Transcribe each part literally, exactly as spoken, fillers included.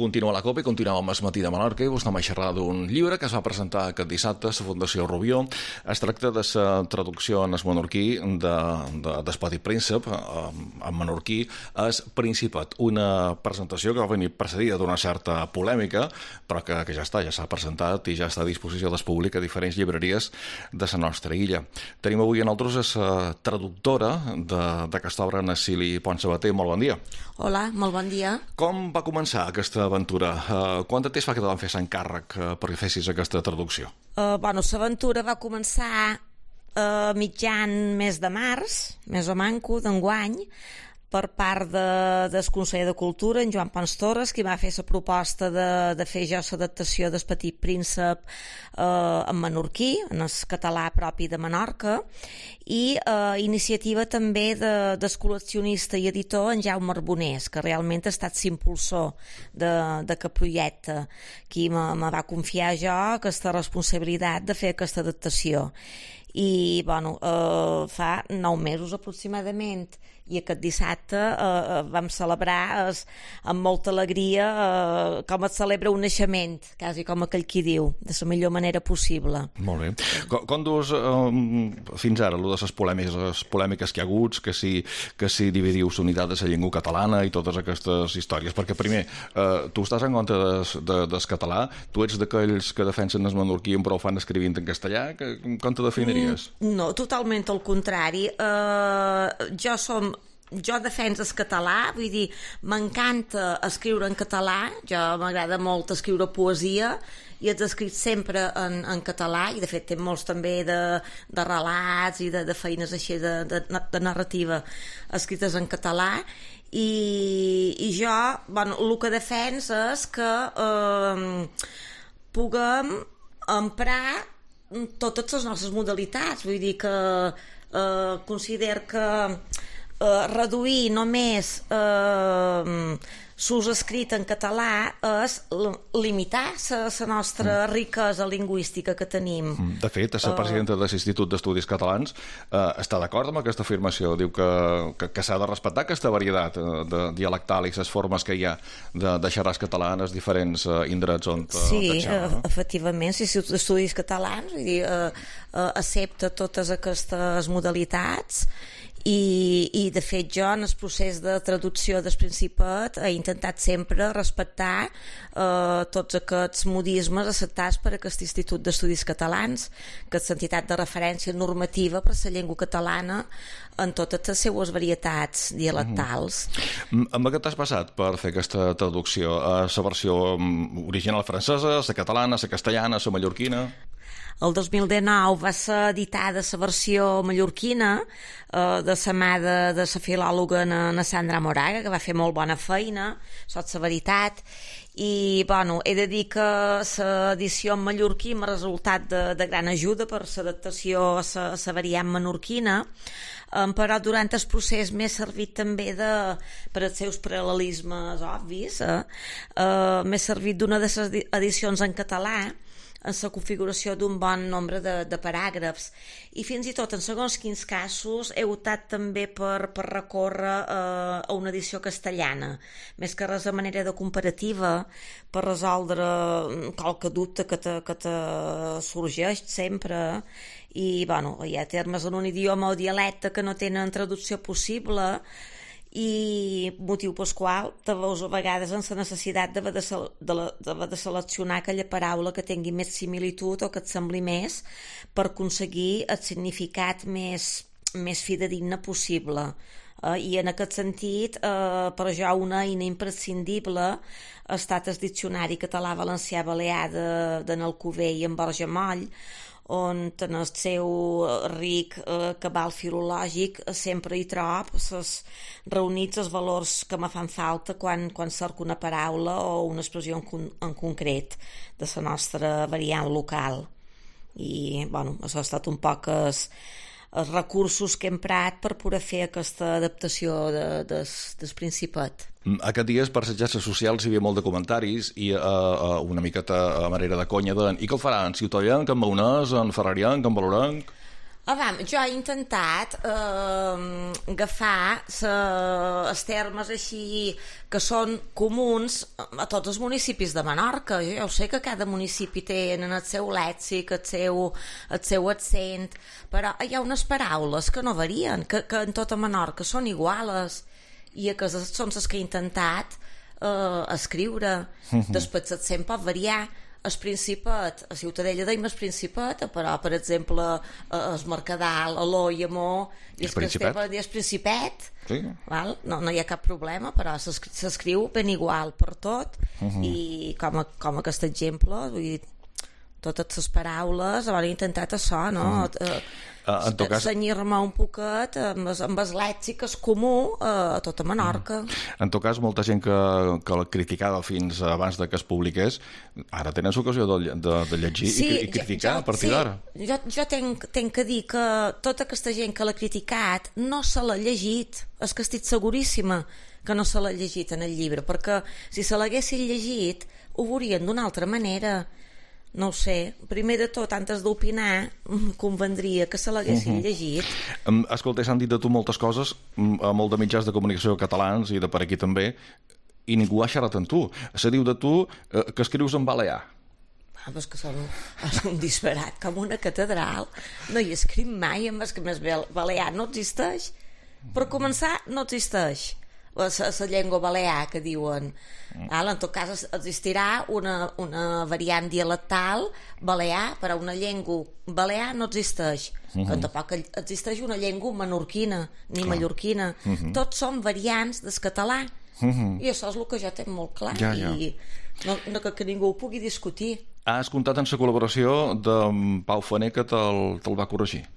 Continua la Copa i continuem amb el matí de Menorca i vos anem a xerrar d'un llibre que es va presentar aquest dissabte a la Fundació Rubió. Es tracta de la traducció en el menorquí de, de, del Petit Príncep, en menorquí és Principat, una presentació que va venir precedida d'una certa polèmica, però que, que ja està, ja s'ha presentat i ja està a disposició del públic a diferents llibreries de la nostra illa. Tenim avui a nosaltres la traductora d'aquesta obra, Cili Pont Sabater. Molt bon dia. Hola, molt bon dia. Com va començar aquesta aventura? Uh, quant de temps fa que te van fer l'encàrrec uh, perquè fessis aquesta traducció? Uh, bueno, l'aventura va començar uh, mitjan mes de març, més o manco, d'enguany, per part de, del conseller de Cultura, en Joan Pons Torres, qui va fer la proposta de, de fer jo l'adaptació del Petit Príncep eh, en menorquí, en el català propi de Menorca, i eh, iniciativa també de, del col·leccionista i editor en Jaume Arbonés, que realment ha estat l'impulsor d'aquest projecte, qui me, me va confiar jo aquesta responsabilitat de fer aquesta adaptació. I bueno, eh, fa nou mesos aproximadament, i aquest dissabte eh, vam celebrar eh, amb molta alegria eh, com es celebra un naixement, quasi com aquell qui diu, de la millor manera possible. Molt bé. Com, com dus eh, fins ara, allò de les polèmiques, les polèmiques que hi ha hagut, que si, que si dividiu la unitat de la llengua catalana i totes aquestes històries? Perquè primer, eh, tu estàs en contra des, de, des català, tu ets d'aquells que defensen el menorquí però ho fan escrivint en castellà, que, com te definiries? No, totalment al contrari. Eh, jo som Jo defenso el català, vull dir, m'encanta escriure en català, jo m'agrada molt escriure poesia i he escrit sempre en, en català, i de fet té molts també de, de relats i de, de feines així de, de, de narrativa escrites en català, i, i jo, bueno, el que defenso és que eh, puguem emprar totes les nostres modalitats, vull dir que eh, considero que Uh, reduir només uh, s'ús escrit en català és limitar la nostra mm. riquesa lingüística que tenim. De fet, la presidenta uh, de l'Institut d'Estudis Catalans uh, està d'acord amb aquesta afirmació, diu que, que, que s'ha de respectar aquesta varietat uh, de dialectal i les formes que hi ha de, de xerrar català en els diferents uh, indrets on uh, sí, xerra, no? uh, efectivament, l'Institut d'Estudis Catalans, vull dir, uh, uh, accepta totes aquestes modalitats. I, i de fet jo en el procés de traducció del Principat he intentat sempre respectar eh, tots aquests modismes acceptats per aquest Institut d'Estudis Catalans, que és l'entitat de referència normativa per la llengua catalana en totes les seues varietats dialectals. Mm. Amb què t'has passat per fer aquesta traducció? A la versió original francesa, la catalana, la castellana, la mallorquina? El dos mil dinou va ser editada la versió mallorquina eh, de la mà de, de la filòloga na Sandra Moraga, que va fer molt bona feina, sots la veritat, i bueno, he de dir que l'edició en mallorquí m'ha resultat de, de gran ajuda per l'adaptació a la variant menorquina, um, però durant el procés m'he servit també de, per als seus paral·lelismes obvis, eh? Uh, m'he servit d'una de les edicions en català en la configuració d'un bon nombre de, de paràgrafs, i fins i tot en segons quins casos he optat també per, per recórrer eh, a una edició castellana, més que res de manera de comparativa, per resoldre qualque dubte que te, que te sorgeix sempre, i bueno, hi ha termes en un idioma o dialecte que no tenen traducció possible, i motiu pel qual te veus a vegades en la necessitat d'haver de, de, de, de seleccionar aquella paraula que tingui més similitud o que et sembli més per aconseguir el significat més, més fidedigne possible. Uh, i en aquest sentit, uh, per jo una eina imprescindible ha estat el diccionari català-valencià-balear d'en Alcover i en Borja Moll, on en el seu ric eh, cabal filològic sempre hi trob ses reunits els valors que me fan falta quan, quan cerco una paraula o una expressió en, con en concret de la nostra variant local. I bueno, això ha estat un poc els, els recursos que he emprat per poder fer aquesta adaptació de, des, del Principat. Aquests dies per les xarxes socials hi havia molt de comentaris i uh, uh, una miqueta a manera de conya de i què el faran? Ciutadans, en Maonès, en Ferrarienc, en Valorenc? Ah, jo he intentat eh, agafar els termes així que són comuns a tots els municipis de Menorca. Jo ja ho sé que cada municipi té el seu lèxic, el seu, el seu accent, però hi ha unes paraules que no varien, que, que en tota Menorca són iguales, i que són les que he intentat eh, escriure. Uh-huh. Després l'accent pot variar. El Principat, a Ciutadella deim el Principat, però, per exemple, el Mercadal, a l'O i a Mo, i el Principet, i el Principet, sí. Val? No, no hi ha cap problema, però s'escriu ben igual per tot, uh-huh. I com, a, com aquest exemple, vull dir, totes les paraules, he intentat això, no? Uh-huh. Uh, en tot cas, senyir-me un poquet amb, amb el lèxic és comú uh, a tota Menorca. En tot cas, molta gent que, que la criticava fins abans de que es publiqués, ara tenen l'ocasió de, de, de llegir sí, i, i criticar jo, a partir sí, d'ara. Jo, jo tenc, tenc que dir que tota aquesta gent que l'ha criticat no se l'ha llegit, és que estic seguríssima que no se l'ha llegit en el llibre, perquè si se l'haguessin llegit ho veurien d'una altra manera. No ho sé, primer de tot, antes d'opinar, convendria que se l'haguessin uh-huh. llegit. Um, escolta, s'han dit de tu moltes coses, a molt de mitjans de comunicació catalans i de per aquí també, i ningú ha xerrat amb tu. Se diu de tu eh, que escrius en balear. Ah, però és que són, és un disparat, com una catedral. No hi escric mai, amb el que més balear no existeix. Per començar, no existeix. La, la llengua balear que diuen. Val? En tot cas existirà una, una variant dialectal balear, però una llengua balear no existeix. Uh-huh. Que tampoc existeix una llengua menorquina ni clar. Mallorquina. Uh-huh. Tots són variants del català. Uh-huh. I això és el que jo tinc molt clar. Ja, ja. I no, no que, que ningú ho pugui discutir. Has comptat en la col·laboració de Pau Faner que te'l, te'l va corregir.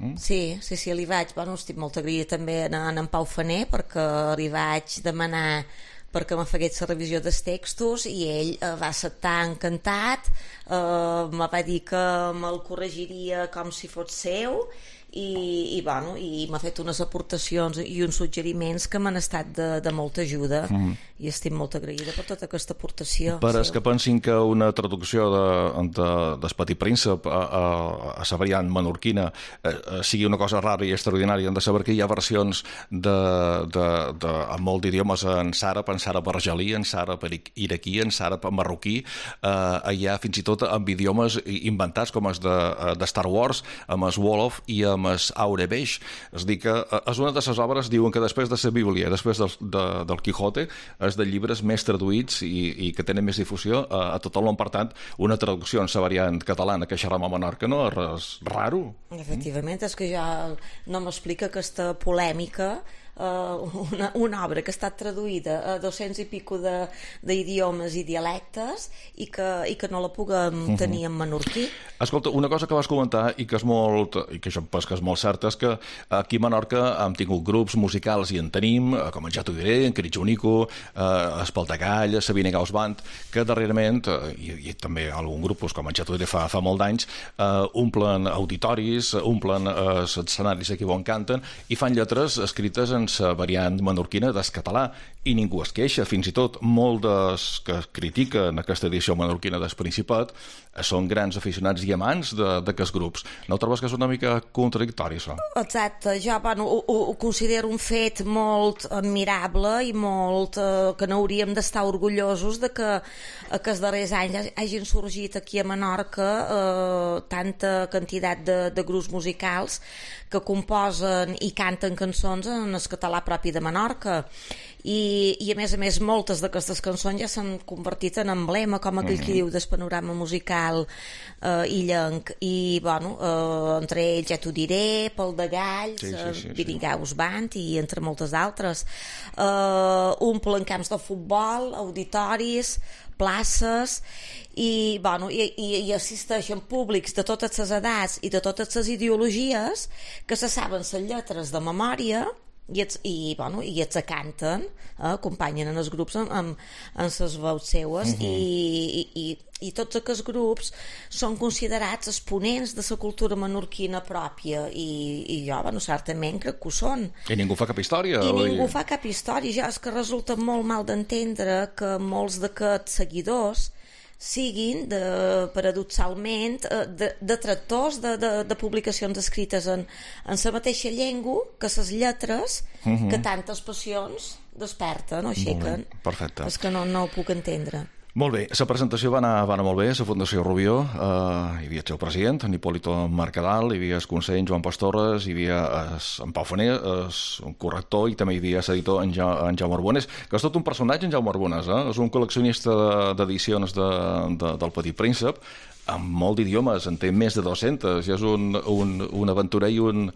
Mm? Sí, sí, sí, li vaig, bueno, estic molt agraïda també en, en Pau Faner perquè li vaig demanar perquè me fagués la revisió dels textos i ell eh, va acceptar encantat, eh, me va dir que me'l corregiria com si fos seu i, i, bueno, i m'ha fet unes aportacions i uns suggeriments que m'han estat de, de molta ajuda mm. i estic molt agraïda per tota aquesta aportació. Per als que pensin que una traducció de, de, del Petit Príncep a, a, a la variant menorquina eh, sigui una cosa rara i extraordinària, hem de saber que hi ha versions de, de, de, amb molt d'idiomes en sàrab, en sàrab argelí, en sàrab iraquí, en sàrab marroquí, eh, hi ha fins i tot amb idiomes inventats com els de, de Star Wars, amb el Wolof i amb el Aurebeix. És dir que és una de les obres, diuen que després de la Bíblia, després del, de, del Quijote, és de llibres més traduïts i, i que tenen més difusió a, a tot el món. Per tant, una traducció en la variant catalana que xerram a Menorca no és res raro. Efectivament, és que ja no m'explica aquesta polèmica. Uh, una, una obra que ha estat traduïda a dos-cents i pico d'idiomes i dialectes i que, i que no la puguem uh-huh. tenir en menorquí. Escolta, una cosa que vas comentar i que és molt, i que això pues, que és molt certa és que aquí a Menorca hem tingut grups musicals i en tenim, com en Ja t'ho diré, en Critxonico, eh, Espaltagall, Sabine Gaus Band, que darrerament, eh, i, i també algun grup pues, com en Ja t'ho diré fa, fa molt d'anys, eh, omplen auditoris, omplen eh, els escenaris aquí on canten i fan lletres escrites en la variant menorquina del català i ningú es queixa, fins i tot molts dels que critiquen aquesta edició menorquina del Principat són grans aficionats i amants d'aquests grups. No trobes que és una mica contradictori, això? Exacte, jo bueno, ho, ho considero un fet molt admirable i molt eh, que n'hauríem d'estar orgullosos de que, que els darrers anys hagin sorgit aquí a Menorca eh, tanta quantitat de, de grups musicals que composen i canten cançons en el català propi de Menorca. I, i a més a més moltes d'aquestes cançons ja s'han convertit en emblema, com aquell mm-hmm. que diu del panorama musical eh, illenc, i bueno, eh, entre ells Ja t'ho diré, Pel de Galls, sí, sí, sí, sí. Virigaus Band i entre moltes altres. Eh, omplen camps de futbol, auditoris, places i, bueno, i, i, i assisteixen públics de totes les edats i de totes les ideologies que se saben les lletres de memòria i, ets, i, bueno, i ets a canten, eh, acompanyen en els grups amb, amb, amb les veus seues uh-huh. i, i, i, i tots aquests grups són considerats exponents de la cultura menorquina pròpia i, i jo, bueno, certament crec que ho són. I ningú fa cap història? I ningú fa cap història. Ja és que resulta molt mal d'entendre que molts d'aquests seguidors siguin, de, paradoxalment, de, de tractors de, de, de publicacions escrites en, en la mateixa llengua que les lletres uh-huh. que tantes passions desperten o aixequen. Perfecte. És que no, no ho puc entendre. Molt bé, la presentació va anar, va anar molt bé, la Fundació Rubió, eh, hi havia el seu president, en Hipólito Mercadal, hi havia el conseller, en Joan Pastorres, hi havia es, en Pau Faner, el corrector, i també hi havia l'editor, en, ja, en Jaume Arbones, que és tot un personatge, en Jaume Arbones, eh? És un col·leccionista d'edicions de, de, del Petit Príncep, amb molt d'idiomes, en té més de dos-centes, i és un, un, un aventurer i un,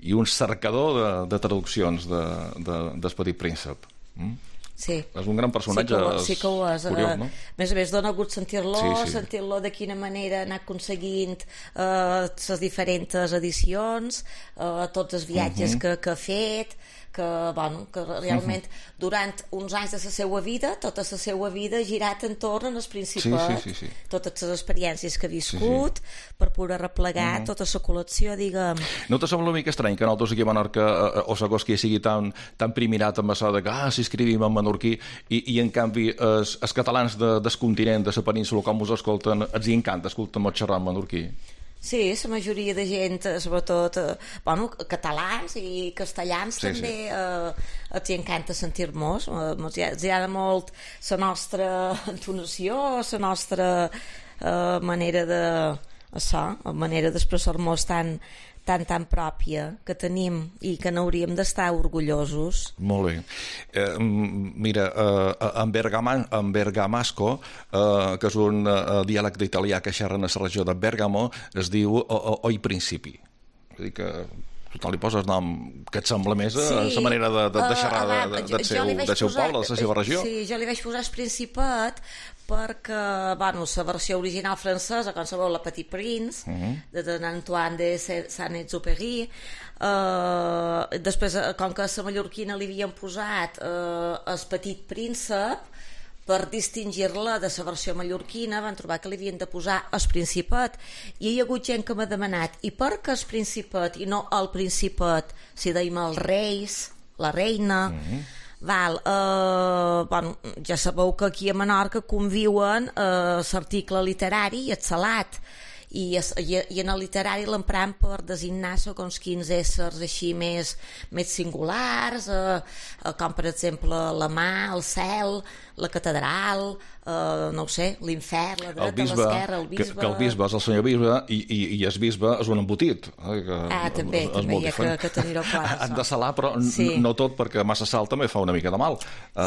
i un cercador de, de traduccions de, de, del Petit Príncep. Mm? Sí. És un gran personatge, sí que ho, sí que ho és. Curiós, no? A més a més, dona gust sentir-lo, sí, sí. sentir-lo de quina manera anar aconseguint eh, les diferents edicions, eh, tots els viatges uh-huh. que, que ha fet, que, bueno, que realment uh-huh. durant uns anys de la seva vida, tota la seva vida ha girat entorn al Principat, sí, sí, sí, sí. totes les experiències que ha viscut, sí, sí. per poder replegar uh-huh. tota la col·lecció, diguem. No te sembla una mica estrany que nosaltres aquí a Menorca eh, o Sagòsquia sigui tan, tan primirat amb això de que ah, s'escrivim en menorquí i, i en canvi els, els catalans de, del continent, de la península, com us escolten, els hi encanta escoltar-me xerrar en menorquí? Sí, la majoria de gent, sobretot eh, bueno, catalans i castellans sí, també sí. Eh, els encanta sentir-nos, eh, els agrada molt la nostra entonació, la nostra eh, manera de això, manera d'expressar-nos tan, tan, tan pròpia que tenim i que n'hauríem d'estar orgullosos. Molt bé. Eh, mira, eh, en, Bergama, en Bergamasco, eh, que és un eh, dialecte italià que xerren a la regió de Bergamo, es diu o, o, oi principi. És a dir que tothom li poses nom que et sembla més a sí. la manera de, de, de xerrar uh, de, de, del seu, de seu poble, de la seva regió. Sí, jo li vaig posar el Principat perquè, bueno, la versió original francesa, com sabeu, la Petit Prince, uh-huh. de Antoine de Saint-Exupéry, eh, després, com que a la mallorquina li havien posat eh, el Petit Príncep, per distingir-la de la versió mallorquina van trobar que li havien de posar el Principat, i hi ha hagut gent que m'ha demanat i per què el Principat i no el Principat, si deim els reis, la reina uh-huh. Val, eh, bueno, ja sabeu que aquí a Menorca conviuen eh, l'article literari i el salat, i, i, i en el literari l'empram per designar segons quins éssers així més, més singulars, eh, eh, com per exemple la mà, el cel, la catedral, eh, no ho sé, l'infern, la dreta, l'esquerra, el bisbe... Que, que el bisbe és el senyor bisbe i, i, i el bisbe és un embotit. Eh, que ah, també, és, també hi ha que, que tenir-ho clar. Han de salar, però sí. no tot, perquè massa sal també fa una mica de mal.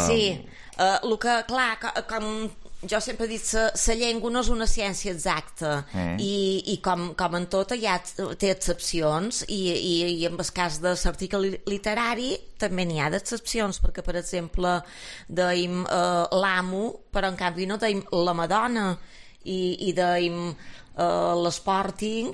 Sí, uh, el que, clar, com... Jo sempre he dit que la llengua no és una ciència exacta mm. i, i com, com en tota ja té excepcions i, i, i en el cas de l'article literari també n'hi ha d'excepcions, perquè per exemple deim eh, l'amo, però en canvi no deim la Madonna, i, i deim eh, l'Sporting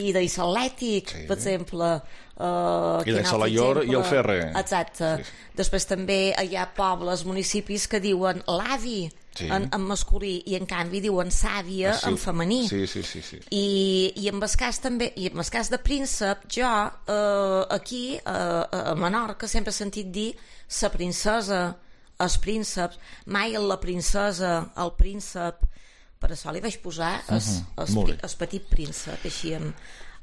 i deim l'Atlètic, sí. per exemple. Uh, I de Salaior i el Ferre. Exacte. Sí. Després també hi ha pobles, municipis que diuen l'avi sí. en, en masculí i en canvi diuen sàvia ah, sí. en femení. Sí, sí, sí, sí. I, i en el cas també, i en el cas de príncep, jo uh, aquí uh, a Menorca sempre he sentit dir la princesa, els prínceps, mai la princesa, el príncep, per això li vaig posar el, uh-huh. el, el petit príncep, així amb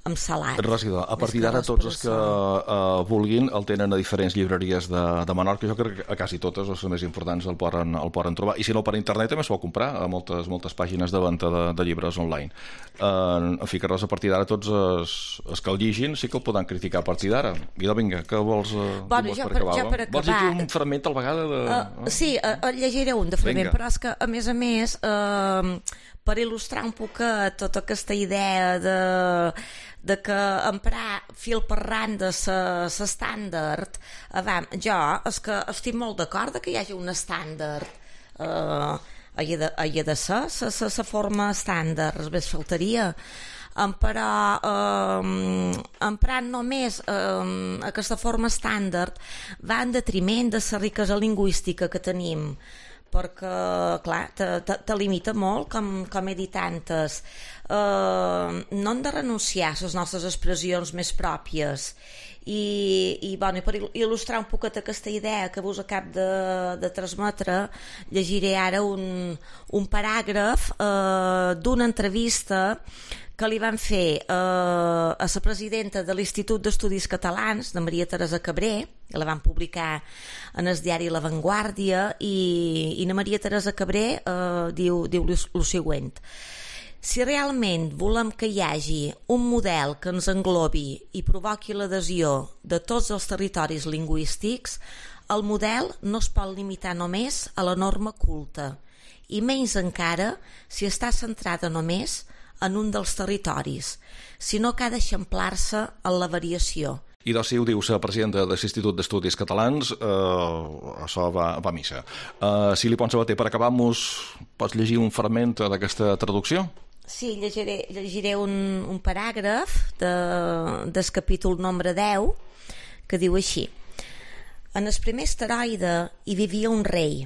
amb salat. Regidor, a partir d'ara tots els que uh, vulguin el tenen a diferents llibreries de, de Menorca, jo crec que a quasi totes, les més importants, el poden, el poden trobar, i si no per internet també es pot comprar a moltes, moltes pàgines de venda de, de llibres online. Uh, en fi, que res, a partir d'ara tots els, els que el llegin sí que el poden criticar a partir d'ara. I vinga, què vols, uh, bueno, vols per per acabar? Jo per acabar... Vols llegir un fragment al vegada? De... Uh, sí, uh, llegiré un de fragment, vinga. Però és que a més a més uh, per il·lustrar un poquet tota aquesta idea de de que emprar fil per randa l'estàndard, jo és que estic molt d'acord que hi hagi un estàndard, eh, hi ha de, hi ha de ser la forma estàndard, més faltaria, però eh, emprant només eh, aquesta forma estàndard va en detriment de la riquesa lingüística que tenim, perquè, clar, te, te, te limita molt, com, com he dit antes. Uh, no hem de renunciar a les nostres expressions més pròpies. I, i, bueno, per il·lustrar un poquet aquesta idea que vos acab de, de transmetre, llegiré ara un, un paràgraf uh, d'una entrevista que li van fer eh, a la presidenta de l'Institut d'Estudis Catalans, de Maria Teresa Cabré, que la van publicar en el diari La Vanguardia, i, i la Maria Teresa Cabré eh, diu, diu el següent: si realment volem que hi hagi un model que ens englobi i provoqui l'adhesió de tots els territoris lingüístics, el model no es pot limitar només a la norma culta, i menys encara si està centrada només en un dels territoris, sinó que ha d'eixamplar-se en la variació. I doncs, si ho dius, presidenta de l'Institut d'Estudis Catalans, eh, això va, va a missa. Eh, si li pots Sabater, per acabar, mos pots llegir un fragment d'aquesta traducció? Sí, llegiré, llegiré un, un paràgraf de, del capítol nombre deu, que diu així: en el primer asteroide hi vivia un rei.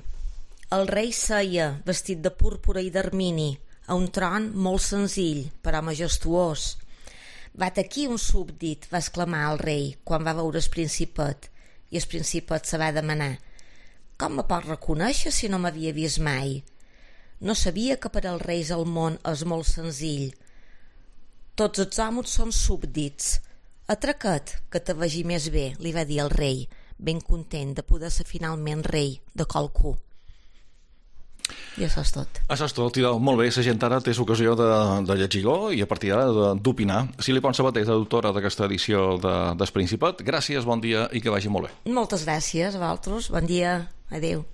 El rei seia, vestit de púrpura i d'ermini, a un tron molt senzill, però majestuós. «Vat aquí un súbdit», va exclamar el rei quan va veure el principet, i el principet se va demanar: «Com me pot reconèixer si no m'havia vist mai?» No sabia que per als reis el món és molt senzill. «Tots els homes són súbdits. Atraca't, que te vegi més bé», li va dir el rei, ben content de poder ser finalment rei de qualcú. I això és tot. Això és tot, i molt bé, la gent ara té l'ocasió de, de llegir-lo i a partir d'ara d'opinar. Si li Pons Sabater, autora d'aquesta edició de, del Principat, gràcies, bon dia i que vagi molt bé. Moltes gràcies a vosaltres, bon dia, adeu.